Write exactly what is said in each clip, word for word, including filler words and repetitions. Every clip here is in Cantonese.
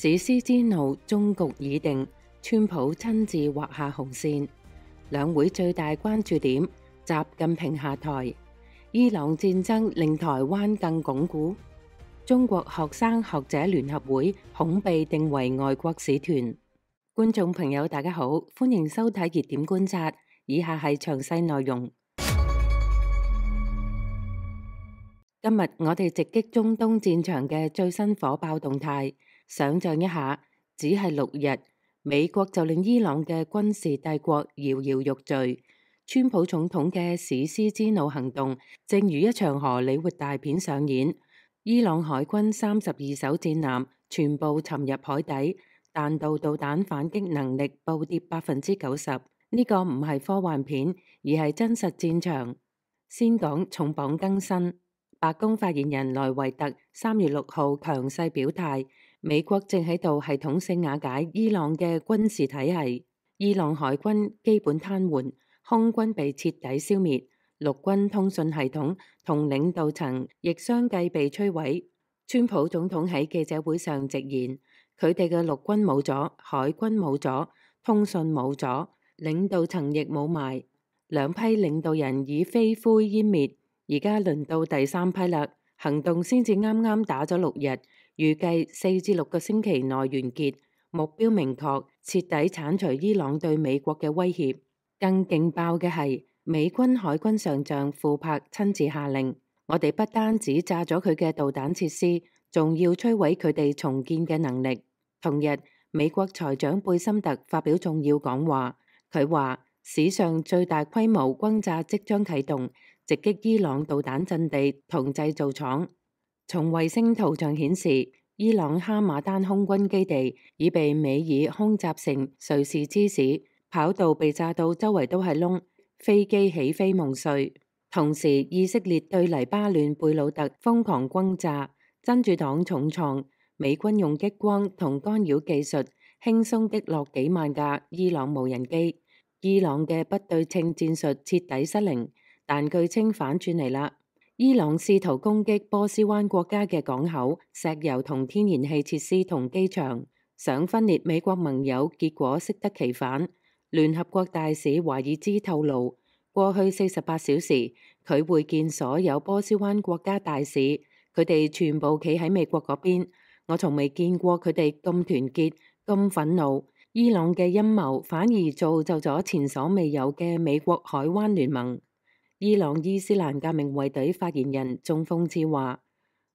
史詩之怒終局已定，川普親自劃下紅線。兩會最大關注點，習近平下台。伊朗戰爭令台灣更鞏固。中國學生學者聯合會恐被定為外國使團。觀眾朋友大家好，歡迎收睇熱點觀察，以下係詳細內容。今日我哋直擊中東戰場嘅最新火爆動態。想象一下，只係六日，美國就令伊朗嘅軍事帝國搖搖欲墜。川普總統嘅史詩之怒行動，正如一場荷里活大片上演。伊朗海軍三十二艘戰艦全部沉入海底，彈道導彈反擊能力暴跌百分之九十。呢個唔係科幻片，而係真實戰場。先講重磅更新。白宮發言人萊維特三月六號強勢表態，美國正喺度系統性瓦解伊朗嘅軍事體系，伊朗海軍基本癱瘓，空軍被徹底消滅，陸軍通訊系統同領導層亦相繼被摧毀。川普總統喺記者會上直言，佢哋嘅陸軍冇咗，海軍冇咗，通訊冇咗，領導層亦冇埋，兩批領導人已飛灰煙滅。而家輪到第三批啦，行動先至啱啱打咗六日，預計四至六個星期內完結，目標明確，徹底剷除伊朗對美國嘅威脅。更勁爆嘅係，美軍海軍上將庫珀親自下令，我哋不單止炸咗佢嘅導彈設施，仲要摧毀佢哋重建嘅能力。同日，美國財長貝森特發表重要講話，佢話史上最大規模轟炸即將啟動，直擊伊朗導彈陣地同製造廠。從衛星圖像顯示，伊朗哈馬丹空軍基地已被美爾空襲成瑞士芝士，跑道被炸到周圍都係窿，飛機起飛夢碎。同時，以色列對黎巴嫩貝魯特瘋狂轟炸，真主黨重創，美軍用激光同干擾技術輕鬆擊落幾萬架伊朗無人機。伊朗嘅不對稱戰術徹底失靈。但據稱反轉嚟啦，伊朗試圖攻擊波斯灣國家嘅港口、石油同天然氣設施同機場，想分裂美國盟友，結果適得其反。聯合國大使華爾茲透露，過去四十八小時，佢會見所有波斯灣國家大使，佢哋全部企喺美國嗰邊。我從未見過佢哋咁團結、咁憤怒。伊朗嘅陰謀反而造就咗前所未有嘅美國海灣聯盟。伊朗伊斯蘭革命衛隊發言人仲諷刺話：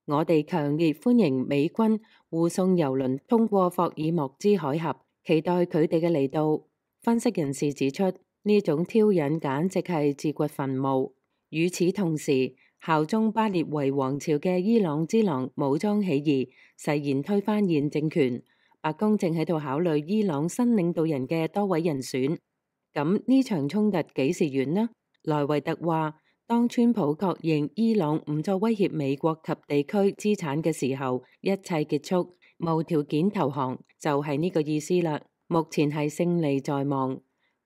我哋強烈歡迎美軍護送油輪通過霍爾莫茲海峽，期待佢哋嘅嚟到。分析人士指出，呢種挑釁簡直係自掘墳墓。與此同時，效忠巴列維王朝嘅伊朗之狼武裝起義，誓言推翻現政權。白宮正喺度考慮伊朗新領導人嘅多位人選。咁呢場衝突幾時完呢？萊維特話，當川普確認伊朗唔再威脅美國及地區資產嘅時候，一切結束，無條件投降，就係呢個意思啦。目前係勝利在望。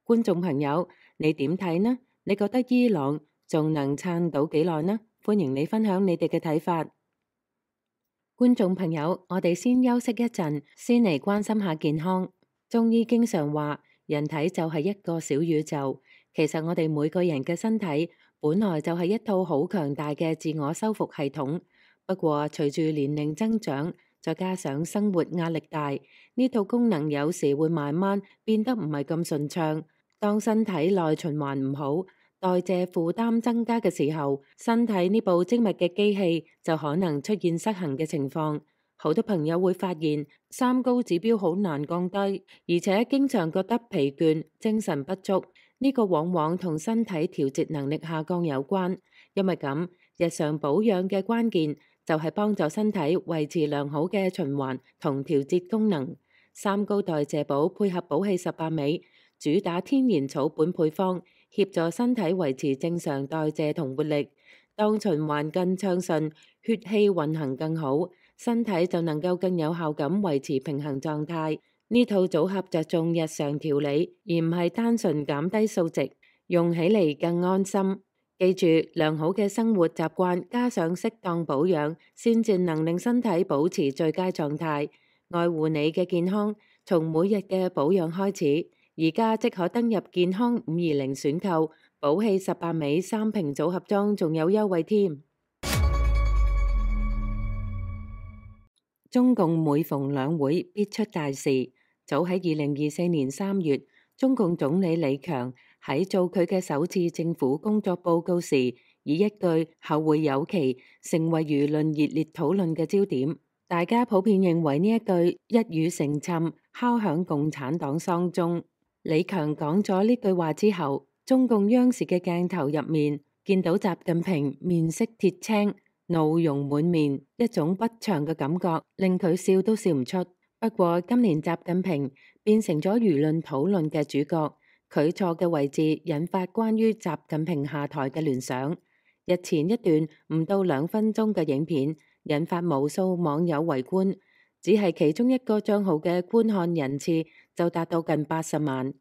觀眾朋友，你點睇呢？你覺得伊朗仲能撐到幾耐呢？歡迎你分享你哋嘅睇法。觀眾朋友，我哋先休息一陣，先嚟關心下健康。中醫經常話，人體就係一個小宇宙。其實我哋每個人嘅身體本來就係一套好強大嘅自我修復系統，不過隨住年齡增長，再加上生活壓力大，呢套功能有時會慢慢變得唔係咁順暢。當身體內循環唔好，代謝負擔增加嘅時候，身體呢部精密嘅機器就可能出現失衡嘅情況。好多朋友會發現三高指標好難降低，而且經常覺得疲倦、精神不足。呢個往往同身體調節能力下降有關，因為咁日常保養嘅關鍵就係幫助身體維持良好嘅循環同調節功能。三高代謝寶配合寶氣十八味，主打天然草本配方，協助身體維持正常代謝同活力。當循環更暢順，血氣運行更好，身體就能夠更有效咁維持平衡狀態。呢套組合着重日常調理，而唔係單純減低數值，用起嚟更安心。記住，良好嘅生活習慣加上適當保養，先至能令身體保持最佳狀態。愛護你嘅健康，從每日嘅保養開始。而家即可登入健康五二零選購，寶氣十八味三瓶組合裝，仲有優惠添。中共每逢兩會必出大事。早喺二零二四年三月，中共總理李強喺做佢嘅首次政府工作報告時，以一句後會有期成為輿論熱烈討論嘅焦點。大家普遍認為呢一句一語成讖，敲響共產黨喪鐘。李強講咗呢句話之後，中共央視嘅鏡頭入面見到習近平面色鐵青，怒容滿面，一種不祥嘅感覺令佢笑都笑唔出。不過今年習近平變成咗輿論討論嘅主角，佢坐嘅位置引發關於習近平下台嘅聯想。日前一段唔到兩分鐘嘅影片引發無數網友圍觀，只係其中一個賬號嘅觀看人次就達到近八十萬。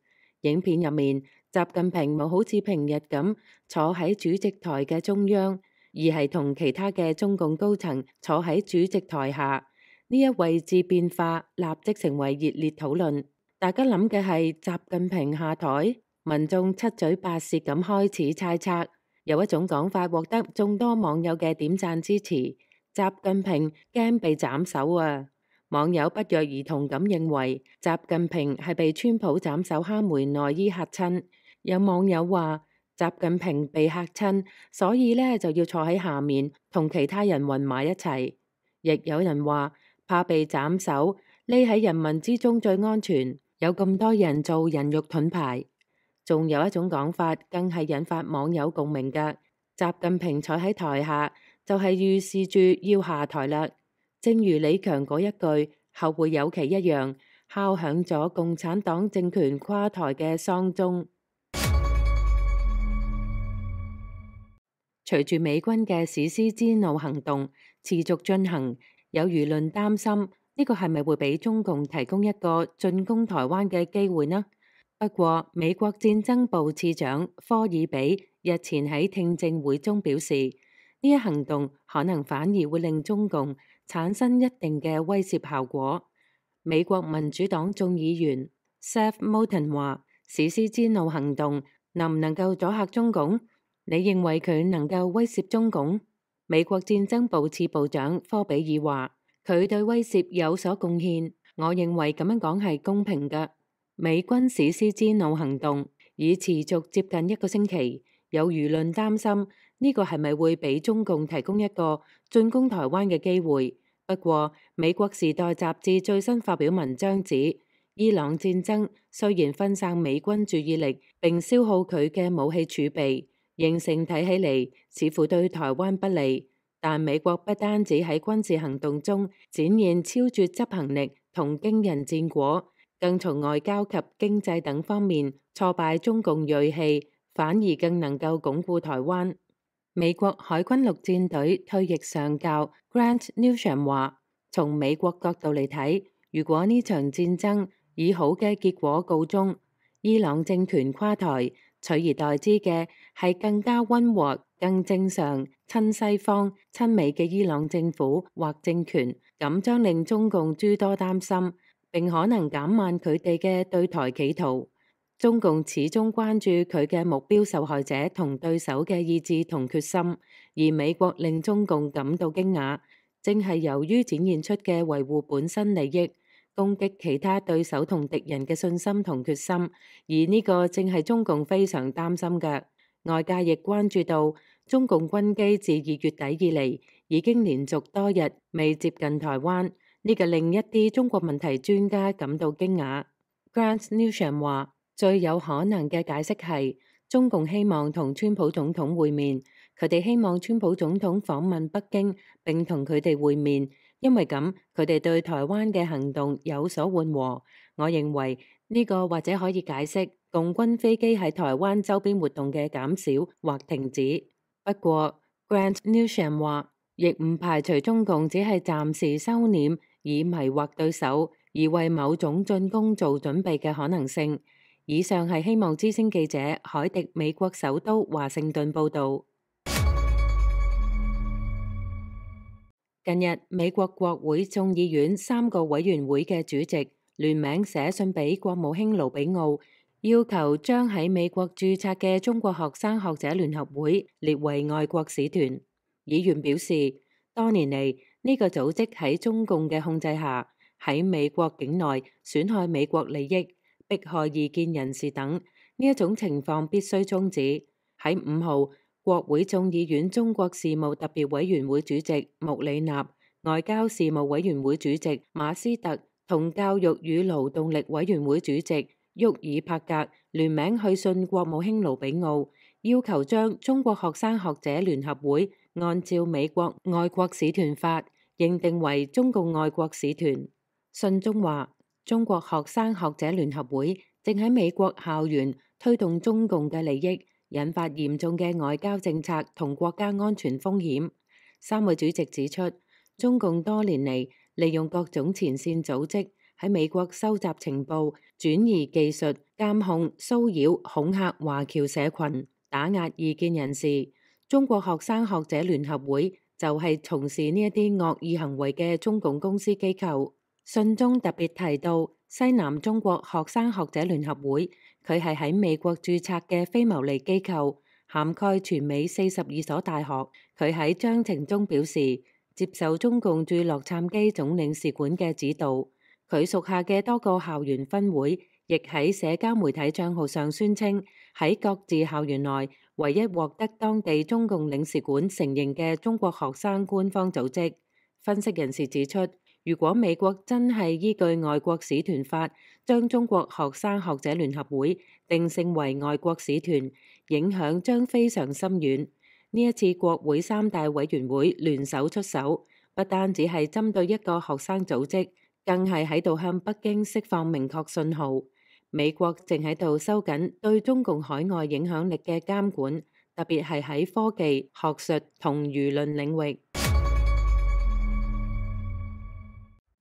影片入面，習近平冇好似平日咁坐喺主席台嘅中央，而係同其他嘅中共高層坐喺主席台下。呢一位置變化立即成為熱烈討論。大家諗嘅係習近平下台，民眾七嘴八舌咁開始猜測。有一種講法獲得眾多網友嘅點讚支持，習近平驚被斬首啊！網友不約而同咁認為習近平係被川普斬首哈梅內伊嚇親。有網友話習近平被嚇親，所以呢就要坐喺下面同其他人混埋一齊。亦有人話怕被斬首，匿喺人民之中最安全。有咁多人做人肉盾牌。仲有一種講法更係引發網友共鳴嘅，習近平坐喺台下就係預示住要下台啦。正如李強嗰一句後會有期一樣，敲響咗共產黨政權垮台嘅喪鐘。隨住美軍嘅史詩之怒行動持續進行，有輿論擔心呢個係咪會俾中共提供一個進攻台灣嘅機會呢？不過美國戰爭部次長科爾比日前喺聽證會中表示，呢一行動可能反而會令中共產生一定嘅威懾效果。美國民主黨眾議員 Seth Moulton 話：史詩之怒行動能唔能夠阻嚇中共？你認為佢能夠威懾中共？美國戰爭部次部長科比爾話：佢對威懾有所貢獻。我認為咁樣講係公平嘅。美軍史詩之怒行動已持續接近一個星期，有輿論擔心呢個係咪會俾中共提供一個進攻台灣嘅機會。不過美國時代雜誌最新發表文章指，伊朗戰爭雖然分散美軍注意力並消耗佢嘅武器儲備，形成睇起嚟似乎對台灣不利，但美國不單止喺軍事行動中展現超絕執行力同驚人戰果，更從外交及經濟等方面挫敗中共銳氣，反而更能夠鞏固台灣。美國海軍陸戰隊退役上校 Grant Newsham 話：從美國角度嚟睇，如果呢場戰爭以好嘅結果告終，伊朗政權垮台，取而代之嘅係更加溫和、更正常、親西方、親美嘅伊朗政府或政權，咁將令中共諸多擔心，並可能減慢佢哋嘅對台企圖。中共始終關注佢嘅目標受害者同對手嘅意志同決心，而美國令中共感到驚訝，正係由於展現出嘅維護本身利益、攻擊其他對手同敵人嘅信心同決心，而呢個正係中共非常擔心嘅。外界亦關注到中共軍機自二月底以嚟已經連續多日未接近台灣，呢個令一啲中國問題專家感到驚訝。Grant Newsham 話：最有可能嘅解釋係中共希望同川普總統會面，佢哋希望川普總統訪問北京並同佢哋會面，因為咁佢哋對台灣嘅行動有所緩和。我認為呢個或者可以解釋共軍飛機喺台灣周邊活動嘅減少或停止。不過 Grant Newsham 話，亦唔排除中共只係暫時收斂，以迷惑對手，而為某種進攻做準備嘅可能性。以上係希望之聲記者海迪美國首都華盛頓報道。近日，美國國會眾議院三個委員會嘅主席聯名寫信俾國務卿盧比奧，要求將喺美國註冊嘅中國學生學者聯合會列為外國使團。議員表示，多年嚟呢個組織喺中共嘅控制下，喺美國境內損害美國利益、迫害異見人士等，呢一種情況必須終止。喺五號，國會眾議院中國事務特別委員會主席穆里納、外交事務委員會主席馬斯特同教育與勞動力委員會主席沃爾帕格聯名去信國務卿盧比奧，要求將中國學生學者聯合會按照美國外國使團法認定為中共外國使團。信中話，中國學生學者聯合會正喺美國校園推動中共嘅利益，引發嚴重嘅外交政策同國家安全風險。三位主席指出，中共多年嚟利用各種前線組織喺美國收集情報、轉移技術、監控、騷擾、恐嚇華僑社群、打壓異見人士。中國學生學者聯合會就係從事呢一啲惡意行為嘅中共公司機構。信中特別提到，西南中國學生學者聯合會，佢係喺美國註冊嘅非牟利機構，涵蓋全美四十二所大學。佢喺章程中表示，接受中共駐洛杉磯總領事館嘅指導。佢屬下嘅多個校園分會，亦喺社交媒體賬號上宣稱，喺各自校園內唯一獲得當地中共領事館承認嘅中國學生官方組織。分析人士指出，如果美國真係依據外國使團法將中國學生學者聯合會定性為外國使團，影響將非常深遠。呢一次國會三大委員會聯手出手，不單只係針對一個學生組織，更係喺度向北京釋放明確信號。美國正喺度收緊對中共海外影響力嘅監管，特別係喺科技、學術同輿論領域。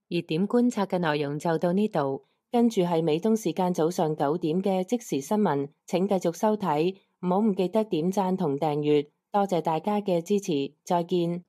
熱點觀察嘅內容就到呢度，跟住係美東時間早上九點嘅即時新聞，請繼續收睇，唔好唔記得點讚同訂閱，多謝大家嘅支持，再見。